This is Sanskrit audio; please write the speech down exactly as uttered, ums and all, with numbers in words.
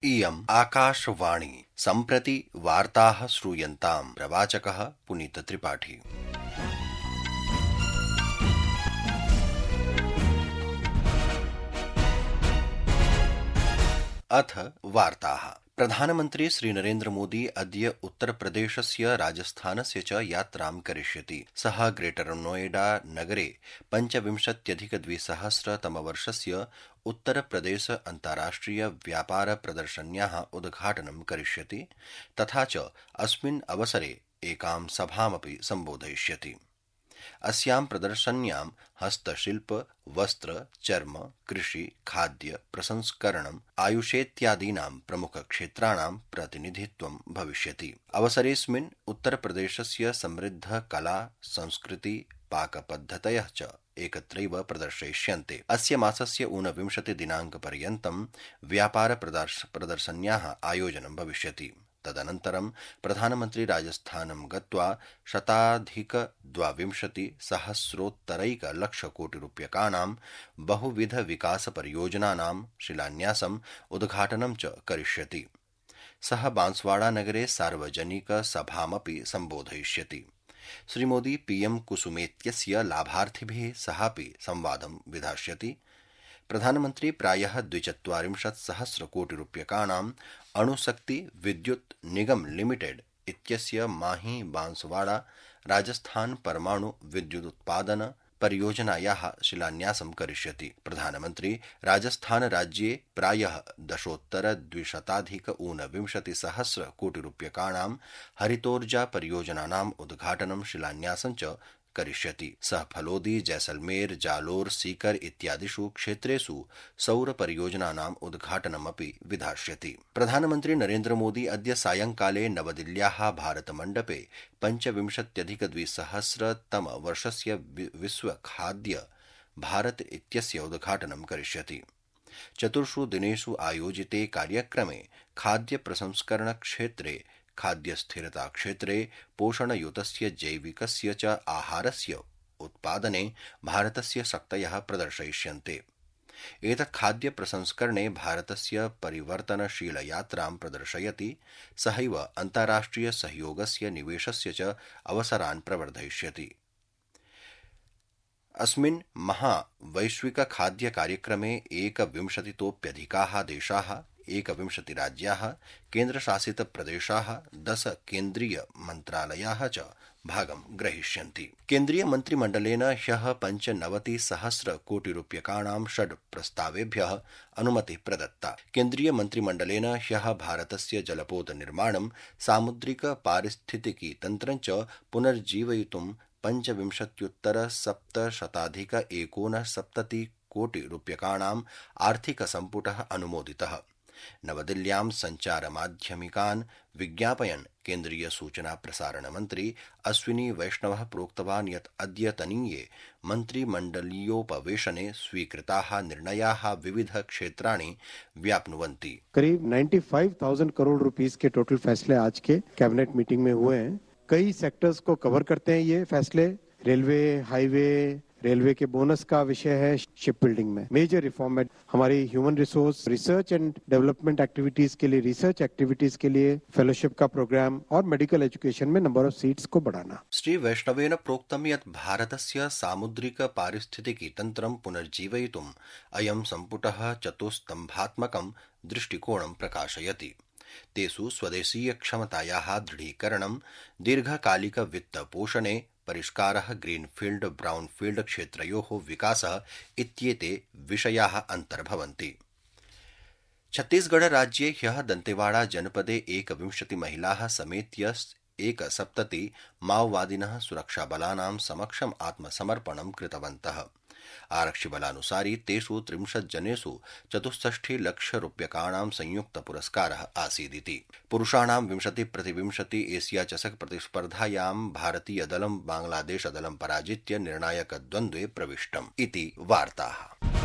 इयम् आकाशवाणी सम्प्रति वार्ताः श्रूयन्ताम्। प्रवाचकः पुनीतत्रिपाठी। अथ वार्ताः। प्रधानमन्त्री श्रीनरेन्द्र मोदी अद्य उत्तरप्रदेशस्य राजस्थानस्य च यात्रां करिष्यति। सः ग्रेटर नोएडा नगरे पञ्चविंशत्यधिकद्विसहस्रतमवर्षस्य उत्तरप्रदेश अन्ताराष्ट्रिय व्यापार प्रदर्शन्याः उद्घाटनं करिष्यति तथा च अस्मिन् अवसरे एकां सभामपि सम्बोधयिष्यति। अस्यां प्रदर्शन्यां हस्तशिल्प, वस्त्र, चर्म, कृषि, खाद्य, प्रसंस्करणम्, आयुषेत्यादीनां प्रमुखक्षेत्राणां प्रतिनिधित्वं भविष्यति। अवसरेऽस्मिन् उत्तरप्रदेशस्य समृद्ध कला, संस्कृति, पाकपद्धतयः च एकत्रैव प्रदर्शयिष्यन्ते। अस्य मासस्य ऊनविंशति दिनाङ्कपर्यन्तं व्यापार प्रदर्शन्याः आयोजनं भविष्यति। तदनन्तरं प्रधानमन्त्री राजस्थानं गत्वा शताधिक द्वाविंशति सहस्रोत्तरैकलक्षकोटिरूप्यकाणां बहुविध विकास परियोजनानां शिलान्यासम् उद्घाटनं च करिष्यति। सः बांसवाड़ा नगरे सार्वजनिक सभामपि सम्बोधयिष्यति। श्रीमोदी पीएम कुसुमेत्यस्य लाभार्थिभिः सहापि संवादं विधास्यति। प्रधानमन्त्री प्रायः द्विचत्वारिंशत् सहस्रकोटिरूप्यकाणां अणुशक्ति विद्युत् निगम लिमिटेड इत्यस्य माही बांसवाड़ा राजस्थान परमाणु विद्युदुत्पादन परियोजनायाः शिलान्यासं करिष्यति। प्रधानमन्त्री राजस्थान राज्ये प्रायः दशोत्तर द्विशताधिक ऊनविंशति सहस्र कोटिरूप्यकाणां हरितोर्जा परियोजनानाम् उद्घाटनं शिलान्यासं च करिष्यति। सः फलोदी, जैसलमेर, जालोर, सीकर इत्यादिषु क्षेत्रेषु सौर परियोजनानाम् उद्घाटनमपि विधास्यति। प्रधानमन्त्री नरेन्द्र मोदी अद्य सायंकाले नवदिल्ल्याः भारतमण्डपे पञ्चविंशत्यधिकद्विसहस्रतमवर्षस्य विश्व खाद्य भारत इत्यस्य उद्घाटनं करिष्यति। चतुर्षु दिनेषु आयोजिते कार्यक्रमे खाद्य प्रसंस्करण क्षेत्रे, खाद्य स्थिरता क्षेत्रे, पोषणयुतस्य जैविकस्य च आहारस्य उत्पादने भारतस्य शक्तयः प्रदर्शयिष्यन्ते। एतत् खाद्य प्रसंस्करणे भारतस्य परिवर्तनशील यात्रां प्रदर्शयति। सहैव अन्ताराष्ट्रिय सहयोगस्य निवेशस्य च अवसरान् प्रवर्धयिष्यति। अस्मिन् महावैश्विक खाद्य कार्यक्रमे एकविंशतितोप्यधिकाः देशाः, एकविंशति राज्याः, केन्द्रशासित प्रदेशाः, दश केन्द्रीय मन्त्रालयाः च भागं ग्रहीष्यन्ति। केन्द्रीय मन्त्रिमण्डलेन ह्यः पञ्चनवति सहस्र कोटिरूप्यकाणां षड् प्रस्तावेभ्यः अनुमतिः प्रदत्ता। केन्द्रीय मन्त्रिमण्डलेन ह्यः भारतस्य जलपोत निर्माणं, सामुद्रिक पारिस्थितिकी तन्त्रं च पुनर्जीवयितुं पञ्चविंशत्युत्तर सप्तशताधिक एकोनसप्तति कोटिरूप्यकाणाम् आर्थिक सम्पुटः अनुमोदितः। नवदिल्ल्यां सञ्चारमाध्यमिकान् विज्ञापयन् केन्द्रीय सूचना प्रसारण मन्त्री अश्विनी वैष्णवः प्रोक्तवान् यत् अद्यतनीये मन्त्रिमण्डलीयोपवेशने स्वीकृताः निर्णयाः विविध क्षेत्राणि व्याप्नुवन्ति। करीब पचानवे हज़ार करोड़ रुपीस के टोटल फैसले आज के कैबिनेट मीटिंग में हुए हैं। कई सेक्टर्स को कवर करते हैं ये फैसले। रेलवे, हाईवे, रेलवे के बोनस का विषय है, शिप बिल्डिंग में मेजर रिफॉर्म है। हमारी human resource, research and development activities के लिए, रिसर्च एक्टिविटीज के लिए फेलोशिप का प्रोग्राम और मेडिकल एजुकेशन में नंबर ऑफ सीट्स को बढ़ाना। श्री वैष्णवेन प्रोक्तं यत् भारतस्य सामुद्रिक पारिस्थितिकी तन्त्रं पुनर्जीवयितुम् अयं सम्पुटः चतुस्तम्भात्मकं दृष्टिकोणं प्रकाशयति। तेषु स्वदेशीय क्षमतायाः दृढीकरणं, दीर्घकालिक वित्तपोषणे परिष्कारः, ग्रीनफील्ड ब्राउनफील्ड क्षेत्रयोः विकासः इत्येते विषयाः अन्तर्भवन्ति। छत्तीसगढ़ राज्ये ह्यः दन्तेवाड़ा जनपदे एकविंशति महिलाः समेत्य एकसप्तति माओवादिनः सुरक्षाबलानां समक्षम् आत्मसमर्पणं कृतवन्तः। आरक्षिबलानुसारि तेषु त्रिंशत् जनेषु चतुष्षष्टि लक्षरूप्यकाणां संयुक्तपुरस्कारः आसीदिति। पुरुषाणां विंशति प्रतिविंशति एशिया चषक प्रतिस्पर्धायां भारतीयदलं बांग्लादेशदलं पराजित्य निर्णायकद्वन्द्वे प्रविष्टम् इति वार्ताः।